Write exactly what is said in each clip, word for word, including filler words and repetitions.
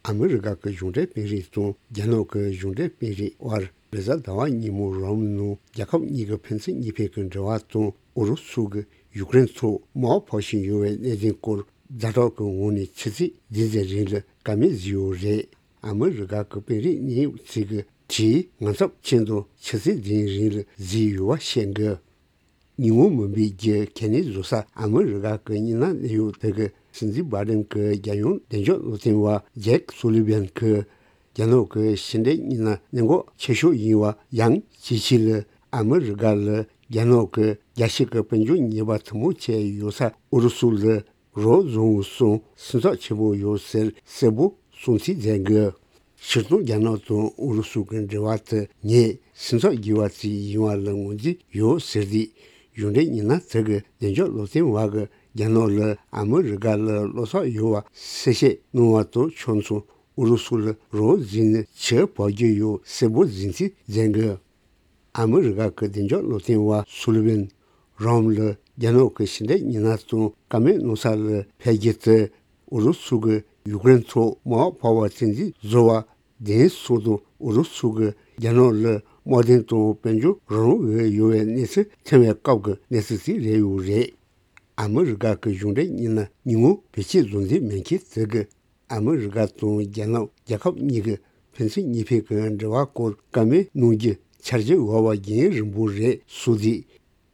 ཨ་མི་རི་ཀ་གི་གཞུང་འབྲེལ་དཔོན་རིགས་དང་རྒྱ་ནག་གི་གཞུང་འབྲེལ་དཔོན་རིགས་དབར་རེས་གཟའ་ཟླ་བ་ཉིན་མོ་རོམ་ནང་རྒྱལ་ཁབ་གཉིས་ཀྱི་ཕན་ཚུན་གཉིས་ཕན་གྱི་འབྲེལ་བ་དང་ཨུ་རུ་སུ་གིས་ཡུཀ་རེན་ཐོག་དམག་འཕར་བཞིན་ཡོད་པའི་གནད་དོན་སྐོར་ཛ་དྲག་གི་ངང་ནས་ཆུ་ཚོད་བདུན་ཙམ་རིང་ལ་བཀའ་མོལ་བཟོས་ཡོད་རེད། ཨ་མི་རི་ཀ་གི་དཔོན་རིགས་གནད་ཡོད་ཚོས་ཀྱི་དྲིས་ངང་ཚབས་ཅན་དུ་ཆུ་ཚོད་བདུན་རིང་ལ་བཟོས་ཡོད་པ་བཤད་འདུག་ཉིན་མོ་མུན་པའི་རྒྱུ་གལ་གནད་བཟོ་ས་ཨ་མི་རི་ཀ་གི་སྙན་ན་གནས་ཡོད་དེ་གི་སྲིད་འཛིན་བྷའི་ཌེན་གི་རྒྱལ་ཡོངས་བདེ་འཇགས་སློབ་སྟོན་པ་ཇེཀ་སུ་ལི་ཝན་གི་རྒྱ་ནག་གི་ཕྱི་འབྲེལ་སྙན་ན་གནད་འགག་ཆེ་ཤོས་ཡིན་པ་ཡང་ཅིའི་ཕྱིར་ལ་ཨ་མི་རི་ཀ་ལ་རྒྱ་ནག་གི་རྒྱལ་སྤྱི་གི་དཔལ་འབྱོར་ཉེས་པ་ཐུན་མོང་ཆེ་ཡོད་ས་ཨུ་རུ་སུ་ལ་རོགས་བཟོ་འོས་སོང་སེམས་འཚབ་ཆེན་པོ་ཡོད་ཟེར་གསལ་པོ་གསུང་ཚིག་མཛད་འདུག་སྤྱིར་བཏང་རྒྱ་ནག་དང་ཨུ་རུ་སུ་གི་འབྲེལ་བ་དེ་ངས་སེམས་འཚབ་དགོས་པ་ཅིག་ཡིན་པ་ལ་ངོས་འཛིན་ཡོད་ཟེར་ཏེ། གཞུང་འབྲེལ་སྙན་ན་དེ་གི་བདེ་འཇགས་སློབ་སྟོན་པ་གིས་རྒྱ་ནག་ལ་ཨ་མི་རི་ཀ་ལ་བློ་འཚབ་ཡོད་པ་གསལ་བཤད་གནང་བ་དང་ཕྱོགས་མཚུངས་ཨུ་རུ་སུ་ལ་རོགས་བཟོས་ནས་ཆུ་བབས་རྒྱུ་ཡོད་གསལ་པོ་གསུང་ཚིག་མཛད་འདུག་ཨ་མི་རི་ཀ་གི་བདེ་འཇགས་སློབ་སྟོན་པ་སུ་ལི་ཝན་རོམ་ལ་རྒྱ་ནག་གི་ཕྱི་འབྲེལ་སྙན་ན་དང་བཀའ་མོལ་གནང་ས་ལ་ཕེབས་རྒྱུ་དེ་ཨུ་རུ་སུ་གིས་ཡུཀ་རེན་ཐོག་དམག་འཕར་བ་བཙན་འཛུལ་བཟོ་བ་བདེན་སོང་དང་ཨུ་རུ་སུ་གིས་རྒྱ་ནག་ལ་དམག་དོན་དང་དཔལ་འབྱོར་རང་དབང་ཡོད་པའི་གནས་ཚུལ་ཐོན་པའི་སྐབས་ཀྱི་གནས་ཚུལ་ཞིག་རེད་ཡོད་རེད། ཨ་མི་རི་ཀ་གི་གཞུང་འབྲེལ་སྙན་ན་ཉིན་མོ་བེད་སྤྱོད་བཟོ་འདོད་མེད་མཁན་དེ་གིས་ཨ་མི་རི་ཀ་དང་རྒྱ་ནག་རྒྱལ་ཁབ་གཉིས་ཀྱི་ཕན་ཚུན་གཉིས་ཕན་གྱི་འབྲེལ་བ་སྐོར་བཀའ་མོལ་གནང་རྒྱུ་འཆར་གཞི་འོག་པ་རྒྱུན་རིང་པོ་རེད་གསུངས་ཏེ།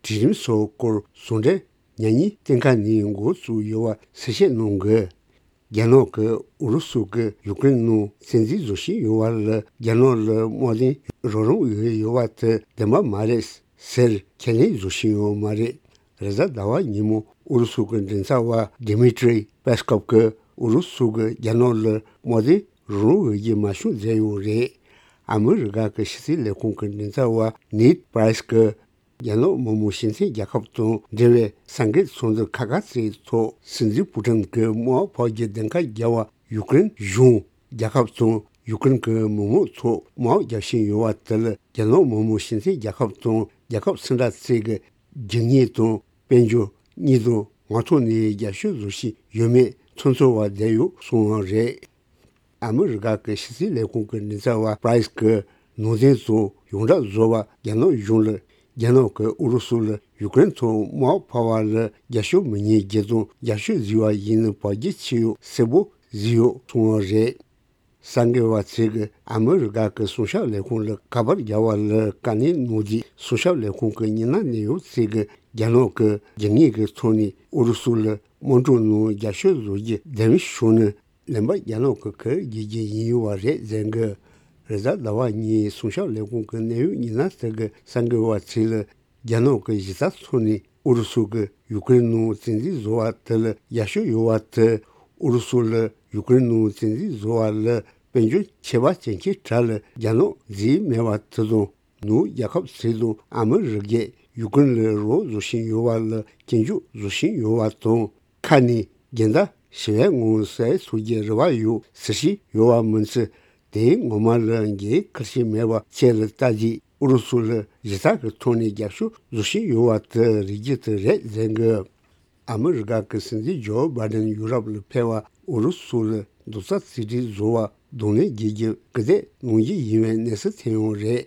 གྲོས་རིམ་སོགས་སྐོར་ཟུང་འབྲེལ་ཉམས་ཉེས་བསྟན་ཁ་ནས་འགོ་བཙུགས་ཡོད་པ་གསལ་བཤད་གནང་དགོས། རྒྱ་ནག་གིས་ཨུ་རུ་སུ་གིས་ཡུཀ་རེན་ནང་བཙན་འཛུལ་བཟོ་བཞིན་ཡོད་པ་ལ་རྒྱ་ནག་ལ་དམག་དོན་རང་དབང་ཡོད་ཡོད་པ་དེ་བདེན་པ་མ་རེད་ཟེར་ཁས་ལེན་བཟོ་བཞིན་ཡོད་མ་རེད། རེས་གཟའ་ཟླ་བ་ཉིན་མོ་ཨུ་རུ་སུ་གི་མགྲིན་ཚབ་པ་ཌི་མི་ཏྲི་པེ་སྐོབ་ཀྱིས་ཨུ་རུ་སུ་གིས་རྒྱ་ནག་ལ་དམག་དོན་རང་དབང་ཡོད་རྒྱུ་མ་བྱུང་ཟེར་ཡོད་རེད། ཨ་མི་རི་ཀ་གི་ཕྱི་སྲིད་ལས་ཁུངས་ཀྱི་མགྲིན་ཚབ་པ་ནེད་པྲ་རེས་ཀྱིས་རྒྱ་ནག་མི་དམངས་སྤྱི་མཐུན་རྒྱལ་ཁབ་དང་འབྲེལ་བའི་གསར་འགོད་ཚོགས་འདུ་ཁག་ཁག་ཅིག་ཐོག་སྲིད་འཛིན་པུ་ཏིན་གྱིས་དམག་འཕར་རྒྱུ་བདེན་ཁ་རྒྱག་པ་ཡུཀ་རེན་གཞུང་རྒྱལ་ཁབ་དང་ཡུཀ་རེན་གྱི་མི་དམངས་ཐོག་དམག་རྒྱག་བཞིན་ཡོད་པ་དེ་ལ་རྒྱ་ནག་མི་དམངས་སྤྱི་མཐུན་རྒྱལ་ཁབ་དང་རྒྱལ་ཁབ་སུ་འདྲ་ཅིག་གི་རྒྱུ་དངོས་དང་དཔལ་འབྱོར་གཉིས་དང་ངོ་ཐོག་ནས་རྒྱབ་སྐྱོར་བཟོ་བཞིན་ཡོད་མེད་ཚོད་འཛིན་འོག་བསྡད་ཡོད་གསུངས་པ་རེད། ཨ་མི་རི་ཀ་གི་ཕྱི་སྲིད་ལས་ཁུངས་ཀྱི་མགྲིན་ཚབ་པ་པྲ་རེས་ཀྱིས་ནང་བསྟན་སོགས་ཡོངས་གྲགས་བཟོ་བ་རྒྱ་ནག་གཞུང་ལ་རྒྱ་ནག་གིས་ཨུ་རུ་སུ་ལ་ཡུཀ་རེན་ཐོག་དམག་འཕར་བ་ལ་རྒྱབ་སྐྱོར་མི་ཉན་རྒྱུ་དང་རྒྱབ་སྐྱོར་བཟོས་པ་ཡིན་ན་བར་ཆད་ཆེ་ཡོད་གསལ་པོ་བཟོས་ཡོད་གསུངས་པ་རེད། གསར་འགོད་པ་ཚོས་ཀྱིས་ཨ་མི་རི་ཀ་གི་སྲུང་སྐྱོབ་ལས་ཁུངས་ལ་ཁ་པར་བརྒྱབ་པ་ལ་བཀའ་ལན་གནང་དུས་སྲུང་སྐྱོབ་ལས་ཁུངས་ཀྱི་མི་སྣ་གནད་ཡོད་ཚོས་ཀྱིས་རྒྱ་ནག་གིས་རྒྱུ་དངོས་ཀྱི་ཐོག་ནས་ཨུ་རུ་སུ་ལ་དམག་འཁྲུག་ནང་རྒྱབ་སྐྱོར་བཟོ་རྒྱུ་བདེན་པ་བྱུང་ན། ལན་པ་རྒྱ་ནག་གི་ཁེ་ཕན་རྒྱག་རྒྱུ་ཡིན་ཡོད་པ་རེད་ཟེར་གི། རེས་གཟའ་ཟླ་བ་ཉིན་སྲུང་སྐྱོབ་ལས་ཁུངས་ཀྱི་གནད་ཡོད་མི་སྣ་ཚོས་ཀྱིས་གསར་འགོད་པ་ཚོ་ལ་རྒྱ་ནག་གི་གཞི་རྩའི་ཐོག་ནས་ཨུ་རུ་སུ་གིས་ཡུཀ་རེན་ནང་བཙན་འཛུལ་བཟོ་བ་དེ་ལ་རྒྱབ་སྐྱོར་ཡོད་པ་དེ། ཨུ་རུ་སུ་ལ་ཡུཀ་རེན་ནང་བཙན་འཛུལ་བཟོ་བ་ལ་དཔལ་འབྱོར་ཆད་པ་བཅད་མཁན་གྲས་ལ་རྒྱ་ནག་འཛུལ་མེད་པ་དེ་དང་། ནུབ་རྒྱལ་ཁབ་ཚོ་དང་ཨ་མི་རི་ཀས་ཡུཀ་རེན་ལ་རོགས་བཟོ་བཞིན་ཡོད་པ་ལ་སྐྱོན་བརྗོད་བཟོ་བཞིན་ཡོད་པ་དང་། ཁ་ནས་འགལ་ཟླ་ཞི་བའི་ངང་སེལ་ཐུབ་རྒྱུའི་རེ་བ་ཡོད་ཟེར་བཞིན་ཡོད་པ་མིན་ཚེ། དེའི་ངོ་མ་ལ་འགན་འཁུར་བཞིན་མེད་པ་བཅས་ལ་ལྟ་རྗེས་ཨུ་རུ་སུ་ལ་ཞི་རྟ་གི་ཐོག་ནས་རྒྱབ་སྐྱོར་བཟོ་བཞིན་ཡོད་པ་དེ་རིགས་རྒྱུ་དེ་རེད་ཟེར་གི། ཨ་མི་རི་ཀ་གི་སྲིད་འཛིན་ཇོ་བྷའི་ཌེན་ཡུ་རོབ་ལ་ཕེབས་པ་ཨུ་རུ་སུ་ལ་རྡོག་རྩ་གཅིག་སྒྲིལ་བཟོ་བར་གདོང་ལེན་བྱེད་རྒྱུ་སྐུལ་འདེད་གནང་རྒྱུ་ཡིན་པའི་གནས་ཚུལ་ཐོན་ཡོད་རེད།